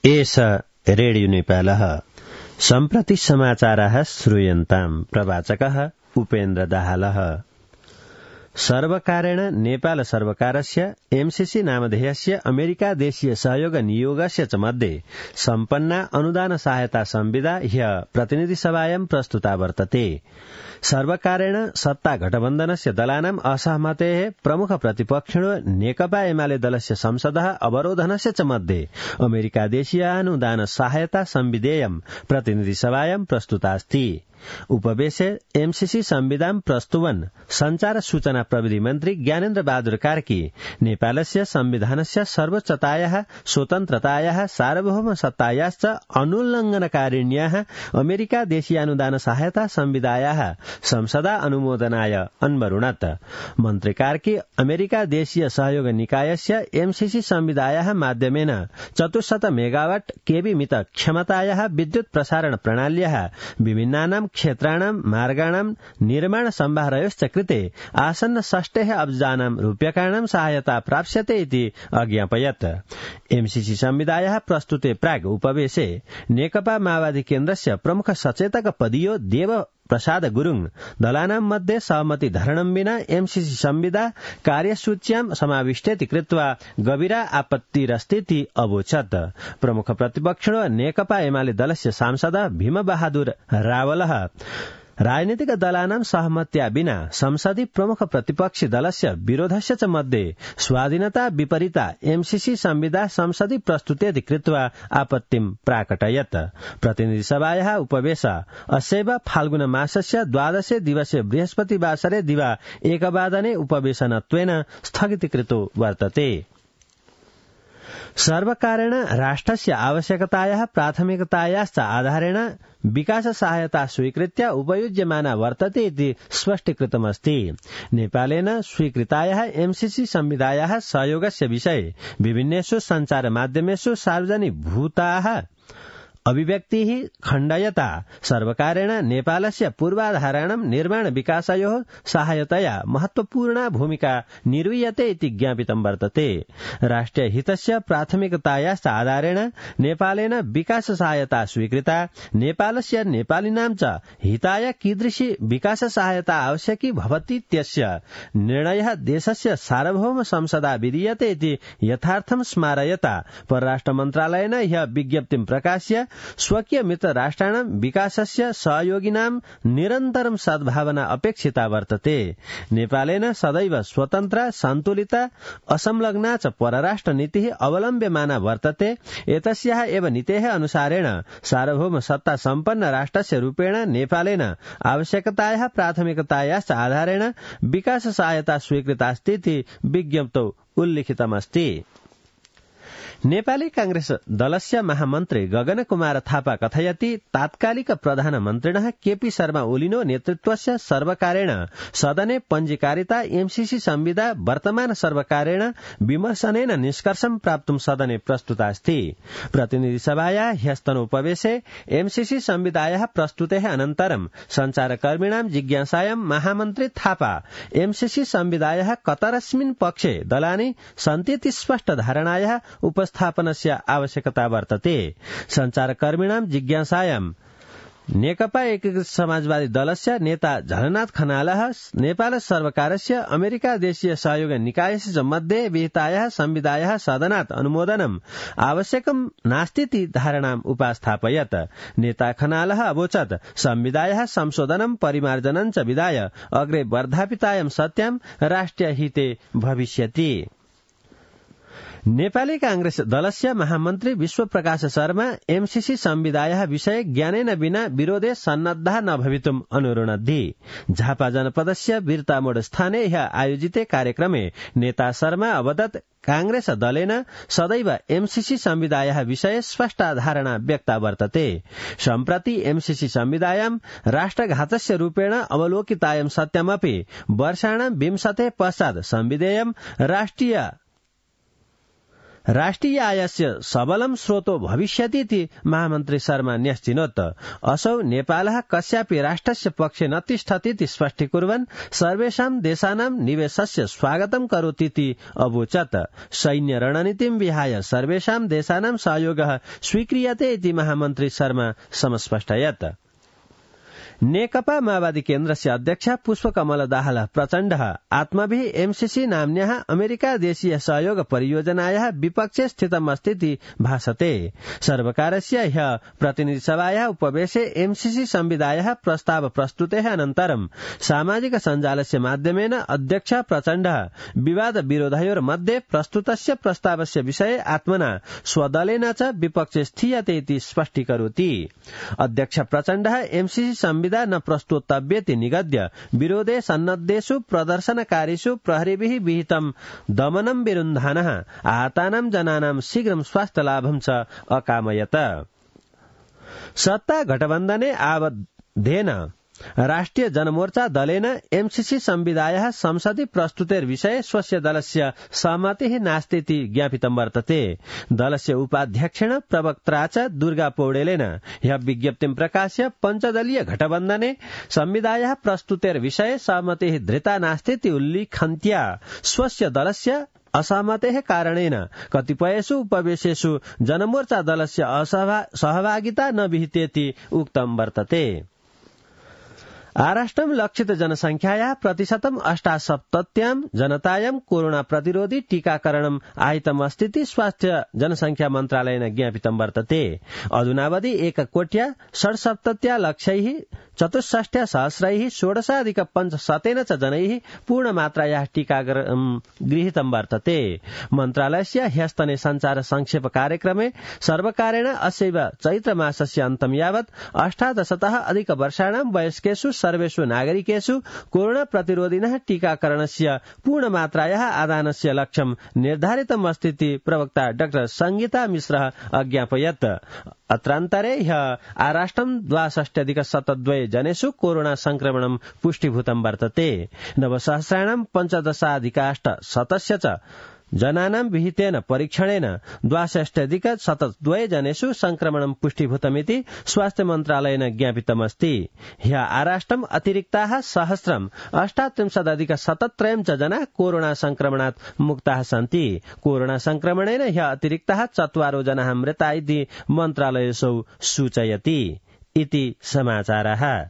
एष रेडियो नेपालः सम्प्रति समाचाराः श्रूयन्ताम्। प्रवाचकः उपेन्द्र दाहालः। सर्वकारेण नेपाल सर्वकारस्य एमसीसी नामधेयस्य अमेरिका देशीय सहयोग नियोगस्य च मध्ये सम्पन्ना अनुदान सहायता संविदा ह्य प्रतिनिधि सभायां प्रस्तुता वर्तते। सर्वकारेण सत्ता गठबन्धनस्य दलानाम् असहमतेः प्रमुख प्रतिपक्षिणो नेकपा एमाले दलस्य संसदः अवरोधनस्य च मध्ये अमेरिका देशीय अनुदान सहायता संविधेयं प्रतिनिधि सभायां प्रस्तुतास्ति। उपवेशे एमसीसी संविधान प्रस्तुवन् संचार सूचना प्रविधि मन्त्री ज्ञानेन्द्र बहादुर कार्की नेपालस्य संविधानस्य सर्वोच्चतायाः स्वतन्त्रतायाः सार्वभौम सत्तायाश्च अनुल्लङ्घनकारिण्याः अमेरिका देशीयानुदान सहायता संविधायाः संसदा अनुमोदनाय अन्वरुणत्। मन्त्री कार्की अमेरिका देशीय सहयोग निकायस्य एमसीसी संविधायाः माध्यमेन 400 मेगावाट केबी मित क्षमतायाः विद्युत प्रसारण प्रणाल्याः विभिन्नानां क्षेत्राणां मार्गाणां निर्माण सम्भारयोश्च कृते आसन्न 60 अब्जानां रूप्यकाणां सहायता प्राप्स्यते इति अज्ञापयत्। एमसीसी संविधायाः प्रस्तुते प्राग् उपवेशे नेकपा माओवादी केन्द्रस्य प्रमुख सचेतक पदीयो देव प्रसाद गुरुङ दलानां मध्ये सहमति धारणं विना एमसीसी संविधा कार्यसूच्यां समाविष्टेति कृत्वा गभीरा आपत्तिरस्तीति अवोचत्। प्रमुख प्रतिपक्षिणो नेकपा एमाले दलस्य सांसद भीम बहादुर रावलः राजनीतिक दलानां सहमत्या विना संसदि प्रमुख प्रतिपक्षी दलस्य विरोधस्य च मध्ये स्वाधीनता विपरीता एमसीसी संविधा संसदि प्रस्तुतेति कृत्वा आपत्तिं प्राकटयत्। प्रतिनिधि सभायाः उपवेश अस्यैव फाल्गुन मासस्य 12 दिवसे बृहस्पतिवासरे दिवा 1 वादने उपवेशनत्वेन स्थगितीकृतो वर्तते। सर्वकारेण राष्ट्रस्य आवश्यकतायाः प्राथमिकतायाश्च आधारेण विकास सहायता स्वीकृत्य उपयुज्यमाना वर्तते इति स्पष्टीकृतमस्ति। नेपालेन स्वीकृतायाः एमसीसी संविधायाः सहयोगस्य विषये विभिन्नेषु सञ्चार माध्यमेषु सार्वजनिकभूताः अभिव्यक्तिः खण्डयता सर्वकारेण नेपालस्य पूर्वाधाराणां निर्माण विकासयोः सहायतया महत्वपूर्णा भूमिका निर्वीयते इति ज्ञापितं वर्तते। राष्ट्रिय हितस्य प्राथमिकतायाश्च आधारेण नेपालेन विकास सहायता स्वीकृता। नेपालस्य नेपालिनां च हिताय कीदृशी विकास सहायता आवश्यकी भवतीत्यस्य निर्णयः देशस्य सार्वभौम संसदा विधीयते इति यथार्थं स्मारयता परराष्ट्र मन्त्रालयेन ह्यः विज्ञप्तिं प्रकाश्य स्वकीय मित्र राष्ट्राणां विकासस्य सहयोगिनां निरन्तरं सद्भावना अपेक्षिता वर्तते। नेपालेन सदैव स्वतन्त्र सन्तुलित असंलग्ना च परराष्ट्र नीतिः अवलम्ब्यमाना वर्तते। एतस्याः एव नीतेः अनुसारेण सार्वभौम सत्ता सम्पन्न राष्ट्रस्य रूपेण नेपालेन आवश्यकतायाः प्राथमिकतायाश्च आधारेण विकास सहायता स्वीकृतास्ति इति विज्ञप्तौ उल्लिखितमस्ति। नेपाली कांग्रेस दलस्य महामन्त्री गगन कुमार थापा कथयति तात्कालिक प्रधानमन्त्रिणः केपी शर्मा ओलिनो नेतृत्वस्य सर्वकारेण सदने पञ्जीकारिता एमसीसी संविधा वर्तमान सर्वकारेण विमर्शनेन निष्कर्षं प्राप्तुं सदने प्रस्तुतास्ति। प्रतिनिधि सभायाः ह्यस्तनोपवेशे एमसीसी संविधायाः प्रस्तुतेः अनन्तरं सञ्चारकर्मिणां जिज्ञासायां महामन्त्री थापा एमसीसी संविधायाः कतरस्मिन् पक्षे दलानि सन्तीति स्पष्ट धारणायाः उपस्थापनस्य आवश्यकता वर्तते। सञ्चारकर्मिणां जिज्ञासायां नेकपा एकीकृत समाजवादी दलस्य नेता झलनाथ खनालः नेपाल सर्वकारस्य अमेरिका देशीय सहयोग निकायस्य च मध्ये विहितायाः संविधायाः सदनात् अनुमोदनम् आवश्यकं नास्तीति धारणाम् उपस्थापयत्। नेता खनालः अवोचत् संविधायाः संशोधनं परिमार्जनं च विधाय अग्रे वर्धापितायां सत्यां राष्ट्रिय हिते भविष्यति। नेपाली कांग्रेस दलस्य महामन्त्री विश्वप्रकाश शर्मा एमसीसी संविधायाः विषये ज्ञानेन विना विरोधे सन्नद्धा न भवितुम् अनुरुणद्धि। झापा जनपदस्य वीरतामोड स्थाने ह्यः आयोजिते कार्यक्रमे नेता शर्मा अवदत् कांग्रेस दलेन सदैव एमसीसी संविधायाः विषये स्पष्टा धारणा व्यक्ता वर्तते। सम्प्रति एमसीसी संविधायां राष्ट्रघातस्य रूपेण अवलोकितायं सत्यमपि वर्षाणां 20 पश्चात् संविधेयं राष्ट्रिय राष्ट्रिय आयस्य सबलं स्रोतो भविष्यतीति महामन्त्री शर्मा न्यस्तिनोत्। असौ नेपालः कस्यापि राष्ट्रस्य पक्षे न तिष्ठतीति स्पष्टीकुर्वन् सर्वेषां देशानां निवेशस्य स्वागतं करोतीति अवोचत्। सैन्य रणनीतिं विहाय सर्वेषां देशानां सहयोगः स्वीक्रियते इति महामन्त्री शर्मा समस्पष्टयत्। नेकपा माओवादी केन्द्रस्य अध्यक्ष पुष्पकमल दाहाल प्रचण्डः आत्मभिः एमसीसी नाम्न्याः अमेरिका देशीय सहयोग परियोजनायाः विपक्षे स्थितमस्तीति भासते। सर्वकारस्य ह्यः प्रतिनिधिसभायाः उपवेशे एमसीसी संविदायाः प्रस्ताव प्रस्तुतेः अनन्तरं सामाजिक सञ्जालस्य माध्यमेन अध्यक्ष प्रचण्डः विवाद विरोधयोर्मध्ये प्रस्तुतस्य प्रस्तावस्य विषये आत्मना स्वदलेन च विपक्षे स्थीयते इति स्पष्टीकरोति। अध्यक्ष प्रचण्डः एमसीसी संविदा न प्रस्तुतव्येति निगद्य विरोधे सन्नद्धेषु प्रदर्शनकारीषु प्रहरीभिः विहितं दमनं विरुन्धानः आहतानां जनानां शीघ्रं स्वास्थ्यलाभं च अकामयत। सत्ता गठबन्धने आबद्धेन राष्ट्रिय जनमोर्चा दलेन एमसीसी संविदायाः संसदि प्रस्तुतेर्विषये स्वस्य दलस्य सहमतिः नास्तीति ज्ञापितं वर्तते। दलस्य उपाध्यक्षेण प्रवक्त्रा च दुर्गा पौडेलेन ह्यः विज्ञप्तिं प्रकाश्य पञ्चदलीय गठबन्धने संविदायाः प्रस्तुतेर्विषये सहमतिः धृता नास्तीति उल्लिखन्त्या स्वस्य दलस्य असहमतेः कारणेन कतिपयेषु उपवेशेषु जनमोर्चा दलस्य सहभागिता न विहितेति उक्तं वर्तते। आराष्ट्रं लक्षित जनसंख्यायाः प्रतिशतं 78 जनतायां कोरोना प्रतिरोधी टीकाकरणम् आहितमस्तीति स्वास्थ्य जनसंख्या मन्त्रालयेन ज्ञापितं वर्तते। अधुनावधि 1,67,64,सहस्रैः 16,500 च जनैः पूर्णमात्रायाः टीकाकरणं गृहीतं वर्तते। मन्त्रालयस्य ह्यस्तने संचार संक्षेप कार्यक्रमे सर्वकारेण अस्यैव चैत्रमासस्य अन्तं यावत् 18तः अधिक वर्षाणां वयस्केषु सर्वेषु नागरिकेषु कोरोना प्रतिरोधिनः टीकाकरणस्य पूर्णमात्रायाः आदानस्य लक्ष्यं निर्धारितम् अस्तीति प्रवक्ता डॉ संगीता मिश्रः अज्ञापयत्। अत्रान्तरे ह्यः आराष्ट्रं 62,072 जनेषु कोरोना संक्रमणं पुष्टिभूतं वर्तते। नवसहस्राणां 15,800 च जनानां विहितेन परीक्षणेन 62,072 जनेषु संक्रमणं पुष्टिभूतमिति स्वास्थ्य मन्त्रालयेन ज्ञापितमस्ति। ह्यः आराष्ट्रम् अतिरिक्ताः 1,38,077 च जनाः कोरोना संक्रमणात् मुक्ताः सन्ति। कोरोना संक्रमणेन ह्यः अतिरिक्ताः 4 जनाः मृता इति मन्त्रालयेषु सूचयति। इति समाचारः।